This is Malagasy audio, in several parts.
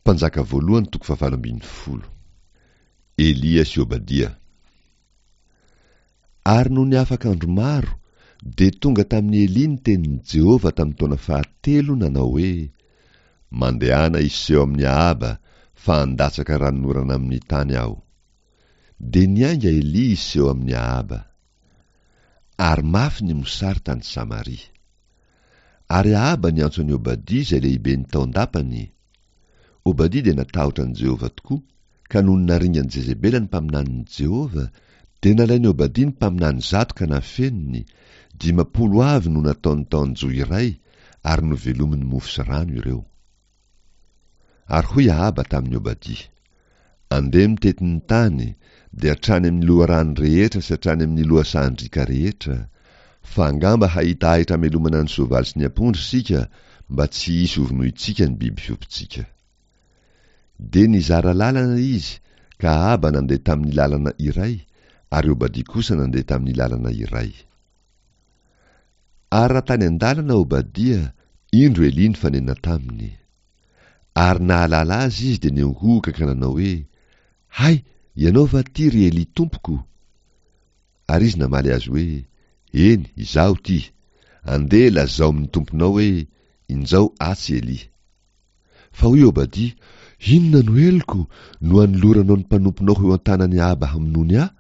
Mpanjaka voalohany toko fahavalo ambin'ny folo. Elia sy Obadia. Ary nony afaka andro maro, dia tonga tamin'i Elia ny tenin'i Jehovah tamin'ny taona fahatelo nanao hoe, Mandehana hiseho amin'i Ahaba, fa handatsaka ranonorana amin'ny tany aho. Dia niainga Elia hiseho amin'i Ahaba. Ary mafy ny mosary tany Samaria. Ary Ahaba niantso an'i Obadia izay lehiben'ny tao an-dapany. Obadia dia natahotra an'i Jehovah tokoa, ka nony naringan'i Jezebela ny mpaminanin'i Jehovah, dia nalain'i Obadia ny mpaminany zato ka nafeniny, 50 avy no nataony tao an-johy iray, ary novelominy mofo sy rano ireo. Ary hoy Ahaba tamin'i Obadia, Andeha mitety ny tany, dia hatrany amin'ny loharano rehetra sy hatrany amin'ny lohasahan-driaka rehetra, fa angamba hahita ahitra hamelomana ny soavaly sy ny ampondra isika, mba tsy hisy hovonointsika ny biby fiompintsika. Dia nizara lalana izy, ka Ahaba nandeha tamin'ny lalana iray, ary Obadia kosa nandeha tamin'ny lalana iray. Ary raha tany an-dalana Obadia, indro Elia nifanena taminy. Ary nahalala azy izy dia niankohoka ka nanao hoe, Hay, ianao va ity, ry Elia tompoko? Ary izy namaly azy hoe, Eny, izaho ity. Andeha lazao amin'ny tomponao hoe, Injao atsy Elia. Fa hoy Obadia, Inona no heloko, no anoloranao ny mpanomponao ho eo an-tanan'i Ahaba hamonoany ahy?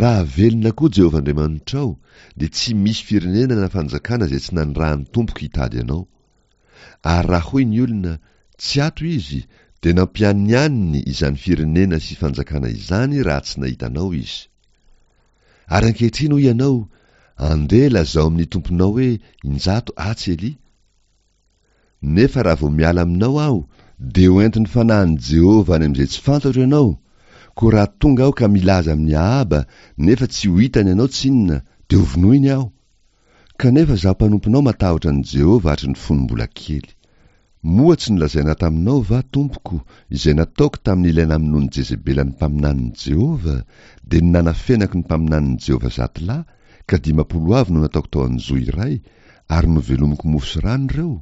Raha velona koa Jehovah Andriamanitrao, dia tsy misy firenena na fanjakana izay tsy nanirahan'ny Tompoko hitady anao. Ary raha hoy ny olona, Tsy ato izy, dia nampianianiny izany firenena sy fanjakana izany raha tsy nahita anao izy. Ary ankehitriny hoy ianao, Andeha lazao amin'ny tomponao hoe, Injato atsy Elia. Nefa raha vao miala aminao aho, dia ho entin'ny fanahin'i Jehovah any amin'izay tsy fantatro ianao, koa raha tonga aho ka milaza amin'i Ahaba, nefa tsy ho hitany ianao tsinona, dia hovonoiny aho. Kanefa izaho mpanomponao matahotra an'i Jehovah hatry ny fony mbola kely. Moa tsy nolazaina taminao va, tompoko, izay nataoko tamin'ilay namonoan'i Jezebela ny mpaminanin'i Jehovah, dia ny nanafenako ny mpaminanin'i Jehovah 100 lahy, ka 50 avy no nataoko tao an-johy iray, ary novelomiko mofo sy rano ireo?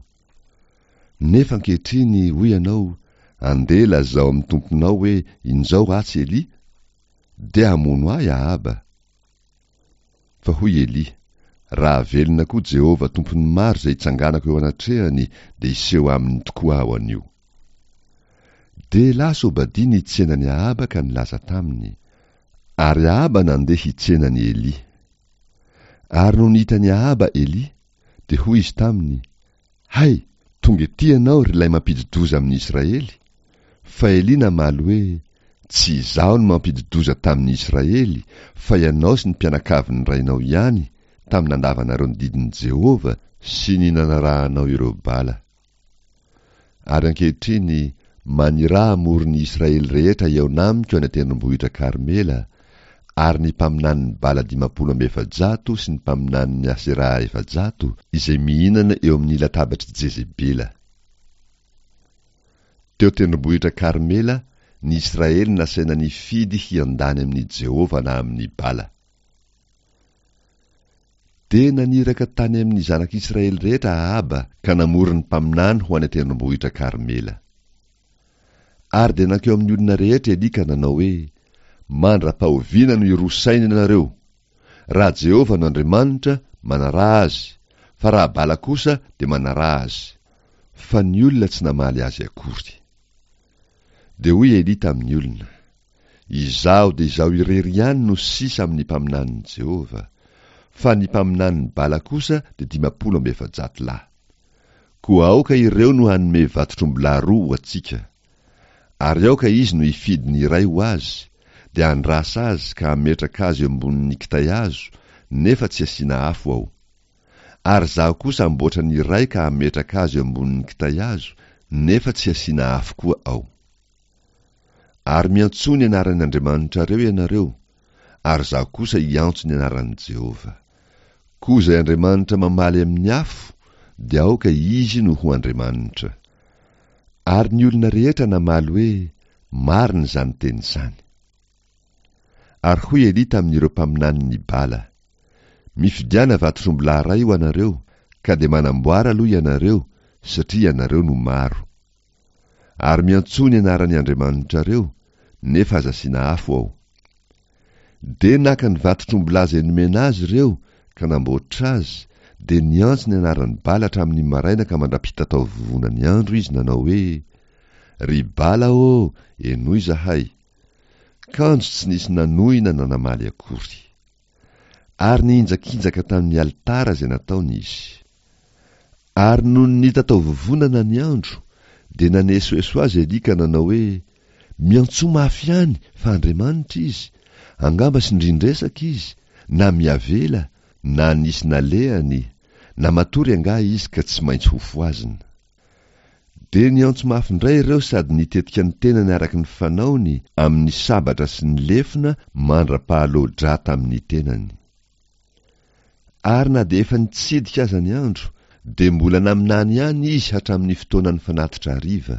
Nefa ankehitriny, hoy ianao, Andeha lazao amin'ny tomponao hoe, Injao atsy Elia. Dia hamono ahy Ahaba. Fa hoy Elia, Raha velona koa Jehovah Tompon'ny maro izay itsanganako eo anatrehany, dia hiseho aminy tokoa aho anio. Dia lasa Obadia nitsena an'i Ahaba ka nilaza taminy. Ary Ahaba nandeha hitsena an'i Elia. Ary nony hitan'i Ahaba Elia, dia hoy izy taminy, Hay, tonga ety ianao, ry ilay mampidi-doza amin'i Israely! Fa Elia namaly hoe, Tsy izaho no mampidi-doza tamin'i Israely, fa ianao sy ny mpianakavin'ny rainao ihany, tamin'ny nandavanareo ny didin'i Jehovah sy ny nanarahanao ireo Bala. Ary ankehitriny, maniraha hamory ny Israely rehetra hihaona amiko any an-tendrombohitra Karmela, ary ny mpaminanin'i Bala 450 sy ny mpaminanin'i Aseraha 400, izay mihinana eo amin'ny latabatr'i Jezebela. Teo an-tendrombohitra Karmela, ny Israely nasaina nifidy hiandany amin'i Jehovah na amin'i Bala. Dia naniraka tany amin'ny zanak'Israely rehetra Ahaba ka namory ny mpaminany ho any an-tendrombohitra Karmela. Ary dia nankeo amin'ny olona rehetra Elia ka nanao hoe, Mandra-pahoviana no hiroa saina ianareo? Raha Jehovah no Andriamanitra, manaraha Azy, fa raha Bala kosa, dia manaraha azy. Fa ny olona tsy namaly azy akory. Dia hoy Elia tamin'ny olona, Izaho dia izaho irery ihany no sisa amin'ny mpaminanin'i Jehovah, fa ny mpaminanin'i Bala kosa dia 450 lahy. Koa aoka ireo no hanome vatotr'ombilahy roa ho antsika. Ary aoka izy no hifidy ny iray ho azy, dia handrasa azy ka hametraka azy eo ambonin'ny kitay hazo, nefa tsy hasiana afo ao. Ary izaho kosa hamboatra ny iray ka hametraka azy eo ambonin'ny kitay hazo, nefa tsy hasiana afo koa ao. Ary miantsoa ny anaran'ny Andriamanitrareo ianareo, ary izaho kosa hiantso ny anaran'i Jehovah. Koa izay Andriamanitra mamaly amin'ny afo, dia aoka izy no ho Andriamanitra. Ary ny olona rehetra namaly hoe, Marina izany teny izany. Ary hoy Elia tamin'ireo mpaminanin'i Bala, Mifidiana vatotr'ombilahy iray ho anareo, ka dia manamboara aloha ianareo, satria ianareo no maro. Ary miantsoa ny anaran'ny andriamanitrareo, nefa aza asiana afo ao. Dia naka ny vatotr'ombilahy izay nomena azy ireo ka namboatra azy, dia niantso ny anaran'i Bala hatramin'ny maraina ka mandra-pitatao vovonan'ny andro izy nanao hoe, Ry Bala ô, henoy izahay! Kanjo tsy nisy nanohina na namaly akory. Ary nihinjakinjaka tamin'ny alitara izay nataony izy. Ary nony nitataovovonana ny andro, dia nanesoeso azy Elia ka nanao hoe, Miantsoa mafy ihany, fa Andriamanitra izy, angamba sindrin-dresaka izy, na miavela, na nisy nalehany, na matory angaha izy ka tsy maintsy hofohazina. Dia niantso mafy indray ireo sady nitetika ny tenany araka ny fanaony amin'ny sabatra sy ny lefona mandra-pahaloa-drà tamin'ny tenany. Ary na dia efa nitsidika aza ny andro, dia mbola naminany ihany izy hatramin'ny fotoanan'ny fanatitra hariva,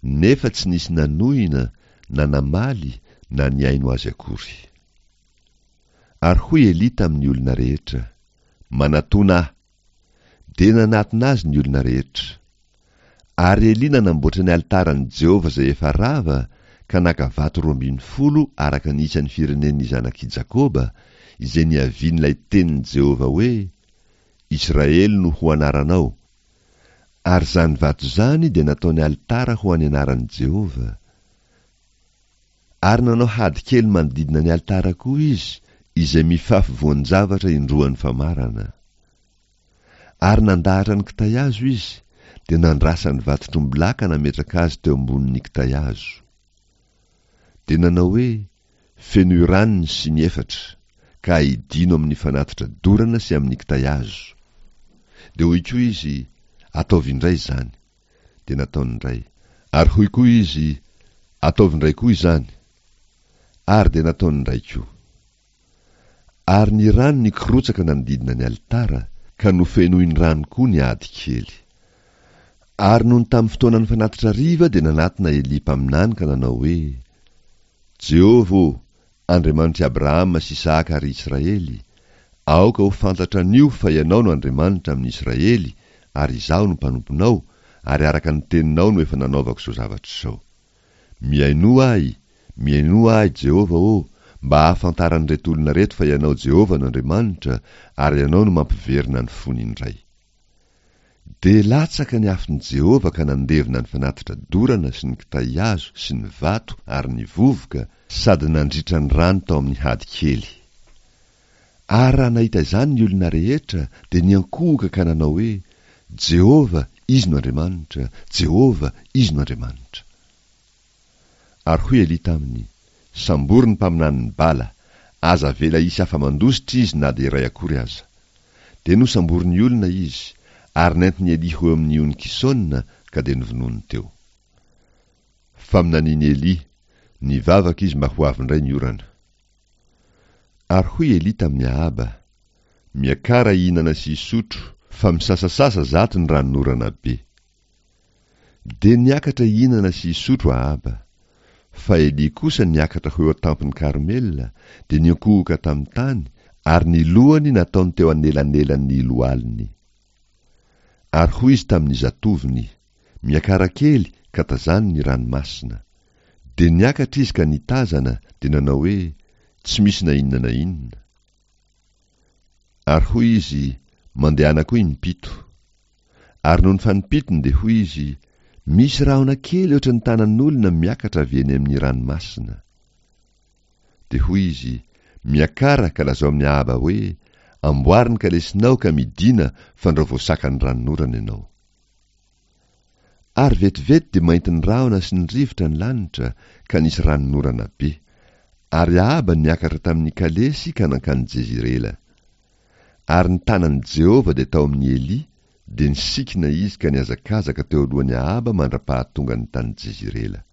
nefa tsy nisy nanohina na namaly na nihaino azy akory. Ary hoy Elia tamin'ny olona rehetra, Manatòna ahy. Dia nanatona azy ny olona rehetra. Ary Elia nanamboatra ny alitaran'i Jehovah izay efa rava, ka naka vato 12 araka ny isan'ny firenen'ny zanak'i Jakoba, izay niavian'ilay tenin'i Jehovah hoe, Israely no ho anaranao. Ary izany vato izany dia nataony alitara ho an'ny anaran'i Jehovah. Ary nanao hady kely manodidina ny alitara koa izy, izay mifafy voan-javatra indroan'ny famarana. Ary nandahatra ny kitay hazo izy, dia nandrasa ny vatotr'ombilahy ka nametraka azy teo ambonin'ny kitay hazo. Dia nanao hoe, Fenoy rano ny siny efatra, ka aidino amin'ny fanatitra dorana sy amin'ny kitay hazo. Dia hoy koa izy, Ataovy indray izany. Dia nataony indray. Ary hoy koa izy, Ataovy indray koa izany. Ary dia nataony indray koa. Ary ny rano nikorotsaka nanodidina ny alitara, ka nofenoiny rano koa ny ady kely. Ary nony tamin'ny fotoanan'ny fanatitra hariva dia nanatona Elia mpaminany ka nanao hoe, Jehovah ô, Andriamanitr'i Abrahama sy Isahaka ary Israely, aoka ho fantatra anio fa Ianao no Andriamanitra amin'ny Israely ary izaho no mpanomponao, ary araka ny teninao no efa nanaovako izao zavatra izao. Mihainoa ahy, mihainoa ahy, Jehovah ô, mba hahafantaran'ireto olona ireto fa Ianao Jehovah no Andriamanitra, ary Ianao no mampiverina ny fony indray. Dia latsaka ny afon'i Jehovah ka nandevona ny fanatitra dorana sy ny kitay hazo sy ny vato ary ny vovoka, sady nandritra ny rano tao amin'ny hady kely. Ary raha nahita izany ny olona rehetra, dia niankohoka ka nanao hoe, Jehovah, Izy no Andriamanitra, Jehovah, Izy no Andriamanitra. Ary hoy Elia taminy, Sambory ny mpaminanin'i Bala, aza avela hisy afa-mandositra izy na dia iray akory aza. Dia nosamborin'ny olona izy, ary nentin'i Elia ho eo amin'ny ony Kisona, ka dia novonoiny teo. Faminanian'i Elia, nivavaka izy mba ho avy indray ny orana. Ary hoy Elia tamin'i Ahaba, Miakara hihinana sy hisotro, fa misasasasa zato ny ranonorana be. Dia niakatra hihinana sy hisotro Ahaba. Fa Elia kosa niakatra ho eo an-tampon'i Karmela, dia niankohoka tamin'ny tany, ary ny lohany nataony teo anelanelan'ny lohaliny. Ary hoy izy tamin'ny zatovony, Miakara kely ka tazano ny ranomasina. Dia niakatra izy ka nitazana, dia nanao hoe, Tsy misy na inona na inona. Ary hoy izy, Mandehana koa impito. Ary nony fanimpitony dia hoy izy, Misy rahona kely ohatran'ny tanan'olona miakatra avy eny amin'ny ranomasina. Dia hoy izy, Miakara ka lazao amin'i Ahaba hoe, Amboary ny kalesinao ka midìna fandrao voasakan'ny ranonorana ianao. Ary vetivety dia maintin'ny rahona sy ny rivotra ny lanitra, ka nisy ranonorana be. Ary Ahaba niakatra tamin'ny kalesy ka nankany Jezirela. Ary ny tanan'i Jehovah dia tao amin'i Elia, dia nisikina izy ka nihazakazaka teo alohan'i Ahaba mandra-pahatongany tany Jezirela.